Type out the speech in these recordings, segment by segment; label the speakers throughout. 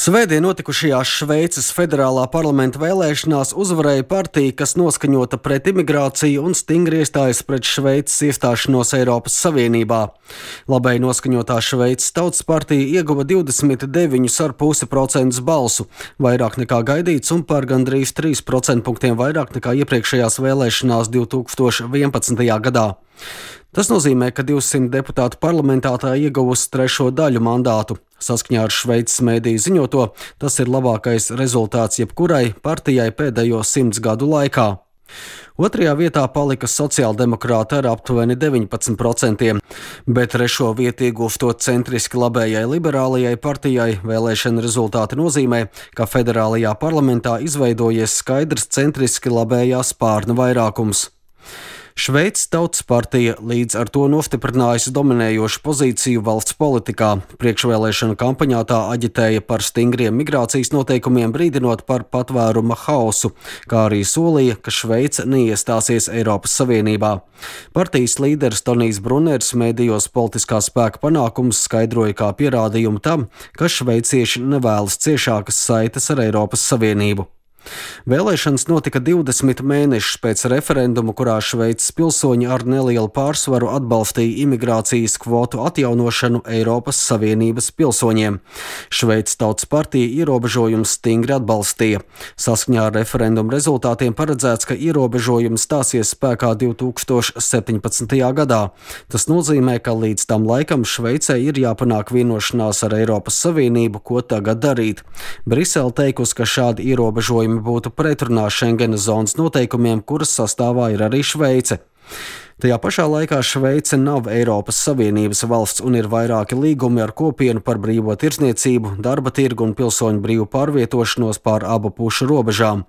Speaker 1: Svētdien notikušajās Šveices federālā parlamenta vēlēšanās uzvarēja partija, kas noskaņota pret imigrāciju un stingri iestājas pret Šveices iestāšanos Eiropas Savienībā. Labēji noskaņotā Šveices Tautas partija ieguva 29,5% balsu, vairāk nekā gaidīts un par gandrīz 3% punktiem vairāk nekā iepriekšējās vēlēšanās 2011. gadā. Tas nozīmē, ka 200 deputātu parlamentā tā ieguvusi trešo daļu mandātu. Saskaņā ar Šveices mēdīju ziņoto, tas ir labākais rezultāts jebkurai partijai pēdējo 100 gadu laikā. Otrajā vietā palika sociāldemokrāti ar aptuveni 19%, bet trešo vietu ieguvto centriski labējai liberālajai partijai vēlēšana rezultāti nozīmē, ka federālajā parlamentā izveidojies skaidrs centriski labējā spārna vairākums. Šveices Tautas partija līdz ar to nostiprinājusi dominējošu pozīciju valsts politikā. Priekšvēlēšana kampaņā tā aģitēja par stingriem migrācijas noteikumiem, brīdinot par patvēruma haosu, kā arī solīja, ka Šveice neiestāsies Eiropas Savienībā. Partijas līderis Tonijs Bruners mēdījos politiskā spēka panākumus skaidroja kā pierādījumu tam, ka šveicieši nevēlas ciešākas saites ar Eiropas Savienību. Vēlēšanas notika 20 mēnešus pēc referenduma, kurā Šveices pilsoņi ar nelielu pārsvaru atbalstīja imigrācijas kvotu atjaunošanu Eiropas Savienības pilsoņiem. Šveices Tautas partija ierobežojumus stingri atbalstīja. Saskaņā ar referendumu rezultātiem paredzēts, ka ierobežojums stāsies spēkā 2017. gadā. Tas nozīmē, ka līdz tam laikam Šveicei ir jāpanāk vienošanās ar Eiropas Savienību, ko tagad darīt. Brisele teikusi, ka šādi ierobežojumi būtu pretrunā Schengenas zonas noteikumiem, kuras sastāvā ir arī Šveice. Tajā pašā laikā Šveice nav Eiropas Savienības valsts un ir vairāki līgumi ar kopienu par brīvo tirdzniecību, darba tirgu un pilsoņu brīvu pārvietošanos pār abu pušu robežām.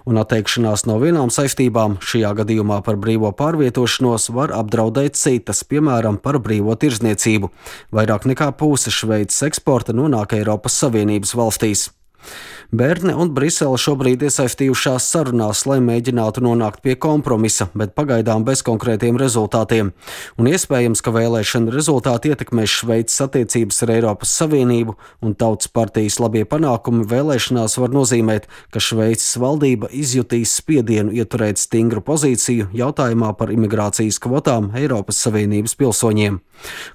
Speaker 1: Un atteikšanās no vienām saistībām, šajā gadījumā par brīvo pārvietošanos, var apdraudēt citas, piemēram, par brīvo tirdzniecību. Vairāk nekā puse Šveices eksporta nonāk Eiropas Savienības valstīs. Berne un Brisele šobrīd iesaistījušās sarunās, lai mēģinātu nonākt pie kompromisa, bet pagaidām bez konkrētiem rezultātiem. Un iespējams, ka vēlēšana rezultāti ietekmēs Šveices attiecības ar Eiropas Savienību, un Tautas partijas labie panākumi vēlēšanās var nozīmēt, ka Šveices valdība izjutīs spiedienu ieturēt stingru pozīciju jautājumā par imigrācijas kvotām Eiropas Savienības pilsoņiem.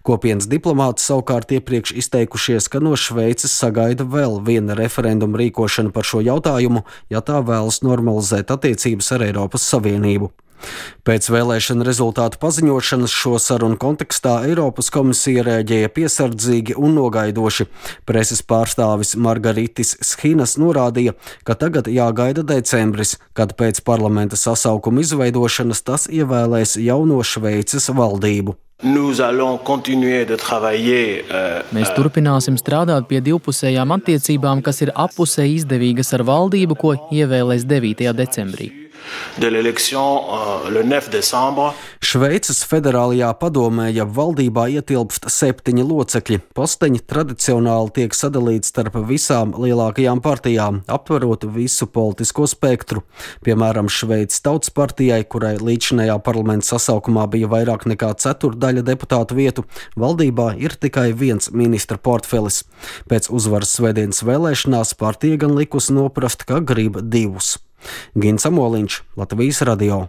Speaker 1: Kopienas diplomāti savukārt iepriekš izteikušies, ka no Šveices sagaida vēl viena referenduma rīkošana par šo jautājumu, ja tā vēlas normalizēt attiecības ar Eiropas Savienību. Pēc vēlēšana rezultātu paziņošanas šo sarunu kontekstā Eiropas komisija rēģēja piesardzīgi un nogaidoši. Preses pārstāvis Margaritis Schinas norādīja, ka tagad jāgaida decembris, kad pēc parlamenta sasaukuma izveidošanas tas ievēlēs jauno Šveices valdību.
Speaker 2: Mēs turpināsim strādāt pie divpusējām attiecībām, kas ir appusēji izdevīgas ar valdību, ko ievēlēs 9. decembrī.
Speaker 1: Šveices federālajā padomē, ja valdībā ietilpst 7 locekļi, posteņi tradicionāli tiek sadalīti starp visām lielākajām partijām, aptverot visu politisko spektru. Piemēram, Šveices Tautas partijai, kurai līdzinējā parlamenta sasaukumā bija vairāk nekā ceturdaļa deputātu vietu, valdībā ir tikai viens ministra portfelis. Pēc uzvaras svētdienas vēlēšanās partija gan likusi noprast, ka grib 2. Gins Amoliņš, Latvijas radio.